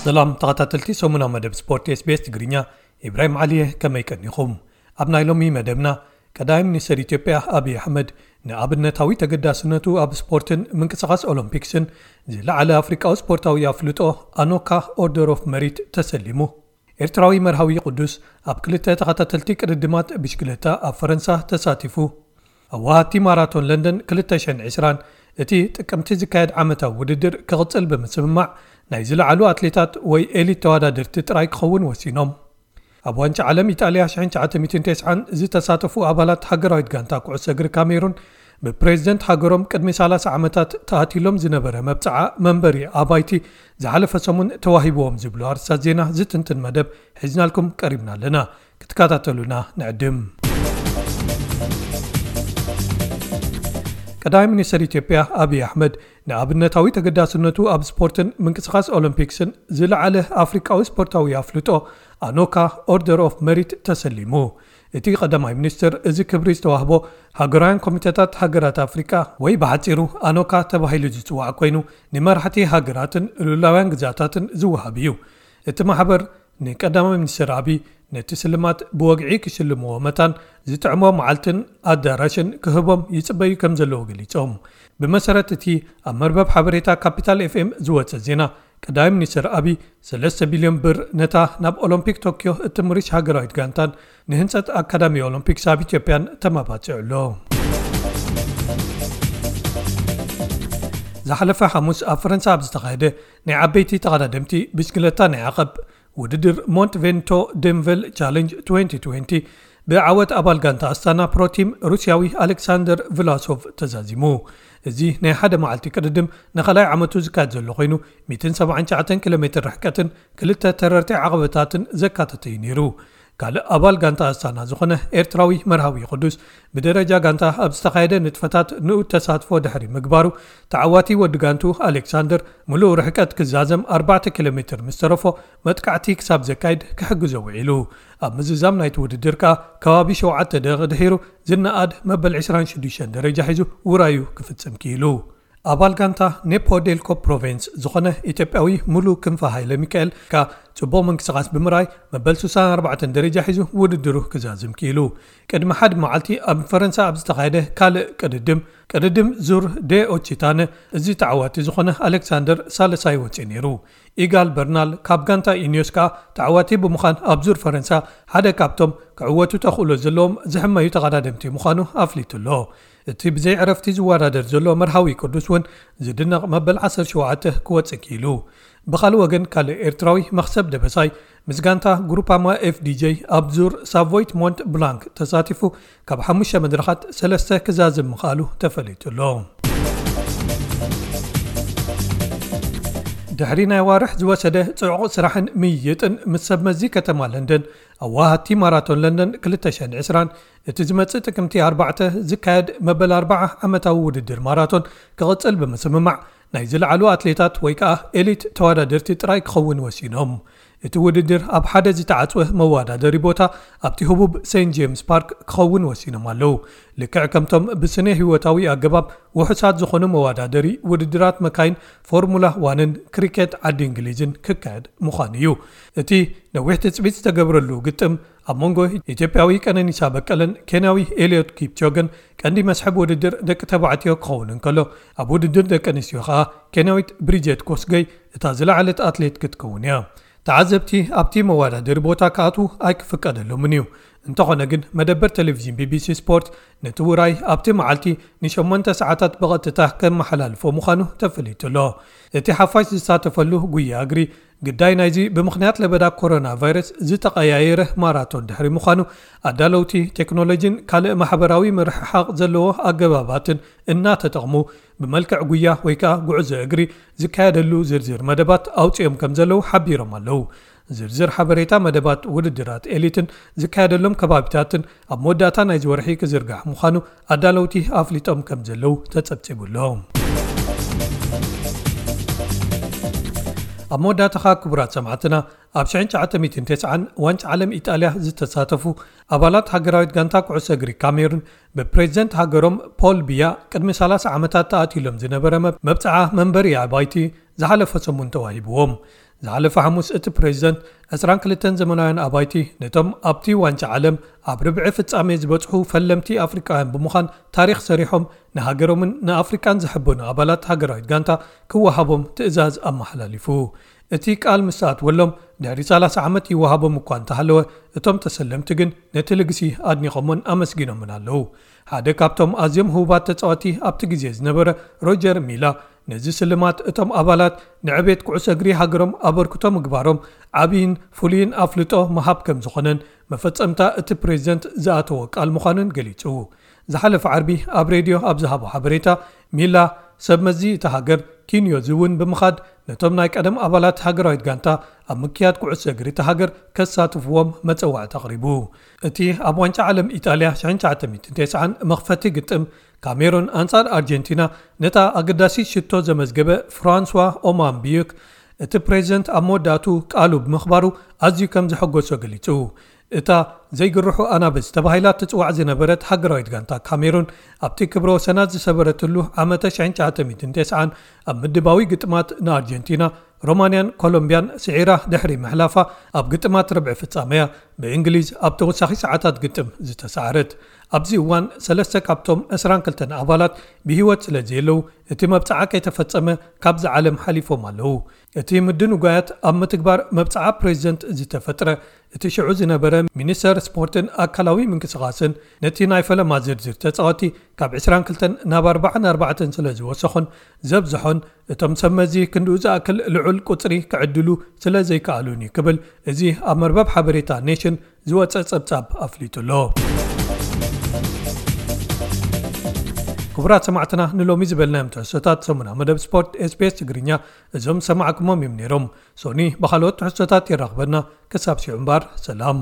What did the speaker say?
ሰላም ተኸታተልቲ ሰሙናዊ መደብ ስፖርት SBS ትግርኛ፣ ኢብራሂም ዓሊየ፣ ከመይ ቀኒኹም? ኣብ ናይ ሎሚ መደብና፣ ቀዳማይ ሚኒስትር ኢትዮጵያ ኣብይ ኣሕመድ ንኣብነታዊ ተገዳስነቱ ኣብ ስፖርትን ምንቅስቓስ ኦሎምፒክስን ዝለዓለ ኣፍሪቃዊ ስፖርታዊ ኣፍልጦ ኣኖካ ኦርደር ኦፍ መሪት ተሰሊሙ። ኤርትራዊ መርሃዊ ቅዱስ ኣብ ክልተ ተኸታተልቲ ቅድድማት ብሽክለታ ኣብ ፈረንሳ ተሳቲፉ። ኣዋሃቲ ማራቶን ለንደን ክልተ ሽሕን ዕስራን እቲ ጥቅምቲ ዝካየድ ዓመታዊ ውድድር ክቕጽል ብምስምማዕ ናይ ዝለዓሉ ኣትሌታት ወይ ኤሊት ተወዳደርቲ ጥራይ ክኸውን ወሲኖም። ኣብ ዋንጫ ዓለም ኢጣልያ ሽሕን ትሽዓተ ሚእትን ተስዓን ዝተሳተፉ ኣባላት ሃገራዊት ጋንታ ኩዕሶ እግሪ ካሜሩን ብፕሬዝደንት ሃገሮም ቅድሚ ሰላሳ ዓመታት ተኣትሎም ዝነበረ መብጽዓ መንበሪ ኣባይቲ ዝሓለፈ ሰሙን ተዋሂብዎም ዝብሉ ኣርስታት ዜና ዝትንትን መደብ ሒዝናልኩም ቀሪብና ኣለና። ክትከታተሉና ንዕድም። ቀዳማይ ሚኒስትር ኢትዮጵያ ኣብይ ኣሕመድ ንኣብነታዊ ተገዳስነቱ ኣብ ስፖርትን ምንቅስቓስ ኦሎምፒክስን ዝለዓለ ኣፍሪቃዊ ስፖርታዊ ኣፍልጦ ኣኖካ ኦርደር ኦፍ መሪት ተሰሊሙ። እቲ ቀዳማይ ሚኒስትር እዚ ክብሪ ዝተዋህቦ ሃገራውያን ኮሚተታት ሃገራት ኣፍሪቃ ወይ ብሓጺሩ ኣኖካ ተባሂሉ ዝጽዋዕ ኮይኑ ንመራሕቲ ሃገራትን ልኡላውያን ግዛታትን ዝወሃብ እዩ። እቲ ማሕበር ንቀዳማይ ሚኒስትር ኣብይ ነቲ ስልማት ብወግዒ ክሽልምዎ መታን ዝጥዕሞ መዓልትን ኣዳራሽን ክህቦም ይጽበዩ ከም ዘለዉ ገሊጾም። ብመሰረት እቲ ኣብ መርበብ ሓበሬታ ካፒታል ኤፍኤም ዝወጸ ዜና፣ ቀዳማይ ሚኒስትር ኣብይ ሰለስተ ቢልዮን ብር ነታ ናብ ኦሎምፒክ ቶኪዮ እትምርሽ ሃገራዊት ጋንታን ንህንጸት ኣካዳሚ ኦሎምፒክስ ኣብ ኢትዮጵያን ተማባጺዑ ኣሎ። ዝሓለፈ ሓሙስ ኣብ ፈረንሳ ኣብ ዝተኻየደ ናይ ዓበይቲ ተቐዳደምቲ ብሽክለታ ናይ ዓቐብ ውድድር ሞንት ቬንቶ ደንቨል ቻለንጅ ትወንቲ ትወንቲ ብዓወት ኣባል ጋንታ ኣስታና ፕሮቲም ሩስያዊ ኣሌክሳንደር ቭላሶቭ ተዛዚሙ። እዚ ናይ ሓደ መዓልቲ ቅድድም ንኻልኣይ ዓመቱ ዝካየድ ዘሎ ኮይኑ፣ ሚእትን ሰብዓን ትሽዓተን ኪሎ ሜትር ርሕቀትን ክልተ ተረርቲ ዓቐበታትን ዘካተተ እዩ ነይሩ። ካልእ ኣባል ጋንታ ኣስታና ዝኾነ ኤርትራዊ መርሃዊ ቅዱስ ብደረጃ ጋንታ ኣብ ዝተኻየደ ንጥፈታት ንኡድ ተሳትፎ ድሕሪ ምግባሩ፣ ተዓዋቲ ወዲ ጋንቱ ኣሌክሳንደር ምሉእ ርሕቀት ክዛዘም ኣርባዕተ ኪሎ ሜትር ምስ ተረፎ መጥቃዕቲ ክሳብ ዘካይድ ክሕግዞ ውዒሉ። ኣብ ምዝዛም ናይቲ ውድድር ከኣ ከባቢ ሸውዓተ ደቂቕ ድሒሩ ዝነኣድ መበል ዕስራን ሽዱሽተን ደረጃ ሒዙ ውራዩ ክፍጽም ክኢሉ። ኣባል ጋንታ ኔፖ ዴልኮ ፕሮቬንስ ዝኾነ ኢትዮጵያዊ ሙሉ ክንፈ ሃይለ ሚካኤል ከኣ ጽቡቕ ምንቅስቓስ ብምርኣይ መበል ስሳን ኣርባዕተን ደረጃ ሒዙ ውድድሩ ክዛዝም ክኢሉ። ቅድሚ ሓደ መዓልቲ ኣብ ፈረንሳ ኣብ ዝተኻየደ ካልእ ቅድድም፣ ቅድድም ዙር ዴ ኦቺታነ፣ እዚ ተዓዋቲ ዝኾነ ኣሌክሳንደር ሳልሳይ ወጺኡ ነይሩ። ኢጋል በርናል ካብ ጋንታ ኢኒዮስ ከኣ ተዓዋቲ ብምዃን ኣብ ዙር ፈረንሳ ሓደ ካብቶም ክዕወቱ ተኽእሎ ዘለዎም ዝሕመዩ ተቐዳደምቲ ምዃኑ ኣፍሊጡ ኣሎ። እቲ ብዘይ ዕረፍቲ ዝወዳደር ዘሎ መርሃዊ ቅዱስ እውን ዝድነቕ መበል ዓሰርተ ሸውዓተ ክወጽእ ክኢሉ። ብኻልእ ወገን፣ ካልእ ኤርትራዊ መኽሰብ ደበሳይ ምስ ጋንታ ግሩፓማ ኤፍዲጄ ኣብ ዙር ሳቮይት ሞንት ብላንክ ተሳቲፉ ካብ ሓሙሽተ መድረኻት ሰለስተ ክዛዝም ምኽኣሉ ተፈሊጡ ኣሎ። ድሕሪ ናይ ዋርሕ ዝወሰደ ጽዑቕ ስራሕን ምይይጥን ምስ ሰብ መዚ ከተማ ለንደን፣ ኣዋሃቲ ማራቶን ለንደን ክልተ ሽሕን ዕስራን፣ እቲ ዝመጽእ ጥቅምቲ ኣርባዕተ ዝካየድ መበል ኣርባዓ ዓመታዊ ውድድር ማራቶን ክቕጽል ብምስምማዕ፣ ናይ ዝለዓሉ ኣትሌታት ወይ ከኣ ኤሊት ተወዳደርቲ ጥራይ ክኸውን ወሲኖም። እቲ ውድድር ኣብ ሓደ ዝተዓጽወ መወዳደሪ ቦታ ኣብቲ ህቡብ ሴንት ጄምስ ፓርክ ክኸውን ወሲኖም ኣለዉ። ልክዕ ከምቶም ብስነ ህይወታዊ ኣገባብ ውሑሳት ዝኾኑ መወዳደሪ ውድድራት መካይን ፎርሙላ ዋንን ክሪኬት ዓዲ እንግሊዝን ክካየድ ምዃኑ እዩ። እቲ ነዊሕ ትጽቢት ዝተገብረሉ ግጥም ኣብ መንጎ ኢትዮጵያዊ ቀነኒሳ በቀለን ኬንያዊ ኤልዮት ኪፕቾገን ቀንዲ መስሕብ ውድድር ደቂ ተባዕትዮ ክኸውን እንከሎ፣ ኣብ ውድድር ደቂ ኣንስትዮ ከኣ ኬንያዊት ብሪጀት ኮስገይ እታ ዝለዓለት ኣትሌት ክትከውን እያ። ተዓዘብቲ ኣብቲ መወዳደሪ ቦታ ክኣትዉ ኣይክፍቀደሎምን እዩ። እንተኾነ ግን፣ መደበር ቴሌቪዥን ቢቢሲ ስፖርት ነቲ ውራይ ኣብቲ መዓልቲ ንሸሞንተ ሰዓታት ብቐጥታ ከመሓላልፎ ምዃኑ ተፈሊጡ ኣሎ። እቲ ሓፋሽ ዝሳተፈሉ ጉያ እግሪ ግዳይ ናይዚ ብምኽንያት ለበዳ ኮሮና ቫይረስ ዝተቐያየረ ማራቶን ድሕሪ ምዃኑ፣ ኣዳለውቲ ቴክኖሎጂን ካልእ ማሕበራዊ ምርሕሓቕ ዘለዎ ኣገባባትን እናተጠቕሙ ብመልክዕ ጉያ ወይ ከኣ ጉዕዞ እግሪ ዝካየደሉ ዝርዝር መደባት ኣውጺኦም ከም ዘለዉ ሓቢሮም ኣለዉ። ዝርዝር ሓበሬታ መደባት ውድድራት ኤሊትን ዝካየደሎም ከባቢታትን ኣብ መወዳእታ ናይዚ ወርሒ ክዝርጋሕ ምዃኑ ኣዳለውቲ ኣፍሊጦም ከም ዘለዉ ተጸብጺቡ ኣሎ። ኣብ መወዳእታ ኸኣ ክቡራት ሰማዕትና፣ ኣብ ሽሕን ትሽዓተ ሚእትን ተስዓን ዋንጫ ዓለም ኢጣልያ ዝተሳተፉ ኣባላት ሃገራዊት ጋንታ ኩዕሶ እግሪ ካሜሩን ብፕሬዝደንት ሃገሮም ፖል ቢያ ቅድሚ ሰላሳ ዓመታት ተኣትዩሎም ዝነበረ መብ-፣ መብጽዓ መንበሪ ኣባይቲ ዝሓለፈ ሰሙን ተዋሂብዎም። ዝሓለፈ ሓሙስ እቲ ፕሬዚደንት ዕስራን ክልተን ዘመናውያን ኣባይቲ ነቶም ኣብቲ ዋንጫ ዓለም ኣብ ርብዒ ፍጻሜ ዝበጽሑ ፈለምቲ ኣፍሪቃውያን ብምዃን ታሪኽ ሰሪሖም ንሃገሮምን ንኣፍሪቃን ዝሕበኑ ኣባላት ሃገራዊት ጋንታ ክወሃቦም ትእዛዝ ኣመሓላሊፉ። እቲ ቃል ምስ ኣትወሎም ድሕሪ ሰላሳ ዓመት ይወሃቦም እኳ እንተሃለወ፣ እቶም ተሰለምቲ ግን ነቲ ልግሲ ኣድኒቖሞን ኣመስጊኖምን ኣለዉ። ሓደ ካብቶም ኣዝዮም ህቡባት ተጻወቲ ኣብቲ ግዜ ዝነበረ ሮጀር ሚላ፣ ነዚ ስልማት እቶም ኣባላት ንዕቤት ኩዕሶ እግሪ ሃገሮም ኣበርክቶ ምግባሮም ዓብይን ፍሉይን ኣፍልጦ ምሃብ ከም ዝኾነን መፈጸምታ እቲ ፕሬዚደንት ዝኣተዎ ቃል ምዃኑን ገሊጹ። ዝሓለፈ ዓርቢ ኣብ ሬድዮ ኣብ ዝሃቦ ሓበሬታ፣ ሚላ ሰብ መዚ እቲ ሃገር ኪንዮ ዝውን ብምኻድ ነቶም ናይ ቀደም ኣባላት ሃገራዊት ጋንታ ኣብ ምክያድ ኩዕሶ እግሪ እቲ ሃገር ከሳትፍዎም መጸዋዕታ ኣቕሪቡ። እቲ ኣብ ዋንጫ ዓለም ኢጣልያ ሽሕን ትሽዓተ ሚእትን ተስዓን መኽፈቲ ግጥም ካሜሩን ኣንጻር ኣርጀንቲና ነታ ኣገዳሲት ሽቶ ዘመዝገበ ፍራንስዋ ኦማምቢዩክ፣ እቲ ፕሬዚደንት ኣብ መወዳእቱ ቃሉ ብምኽባሩ ኣዝዩ ከም ዘሐጎሶ ገሊጹ። እታ ዘይግርሑ ኣናብስ ተባሂላ ትጽዋዕ ዝነበረት ሃገራዊት ጋንታ ካሜሩን ኣብቲ ክብረ ወሰናት ዝሰበረትሉ ዓመተ ሽሕን ትሽዓተ ሚእትን ተስዓን ኣብ ምድባዊ ግጥማት ንኣርጀንቲና፣ ሮማንያን ኮሎምቢያን ስዒራ ድሕሪ ምሕላፋ ኣብ ግጥማት ርብዒ ፍጻመያ ብእንግሊዝ ኣብ ተወሳኺ ሰዓታት ግጥም ዝተሰዓረት። ኣብዚ እዋን ሰለስተ ካብቶም ዕስራን ክልተን ኣባላት ብህይወት ስለ ዘየለዉ እቲ መብጽዓ ከይተፈጸመ ካብዚ ዓለም ሓሊፎም ኣለዉ። እቲ ምድንጓያት ኣብ ምትግባር መብጽዓ ፕሬዚደንት ዝተፈጥረ እቲ ሽዑ ዝነበረ ሚኒስተር ስፖርትን ኣካላዊ ምንቅስቓስን ነቲ ናይ ፈለማ ዝርዝር ተጻወቲ ካብ ዕስራን ክልተን ናብ ኣርባዓን ኣርባዕተን ስለ ዝወሰኾን ዘብዝሖን እቶም ሰብ መዚ ክንድኡ ዝኣክል ልዑል ቁጽሪ ክዕድሉ ስለ ዘይከኣሉን እዩ ክብል እዚ ኣብ መርበብ ሓበሬታ ኔሽን ዝወጸ ጸብጻብ ኣፍሊጡ ኣሎ። ክቡራት ሰማዕትና ንሎሚ ዝበልናዮም ትሕዝቶታት ሰሙና መደብ ስፖርት ኤስቢኤስ ትግርኛ እዞም ሰማዕኩሞም እዮም ነይሮም። ሶኒ ብኻልኦት ትሕዝቶታት የራኽበና። ክሳብ ሲዑ እምበር ሰላም።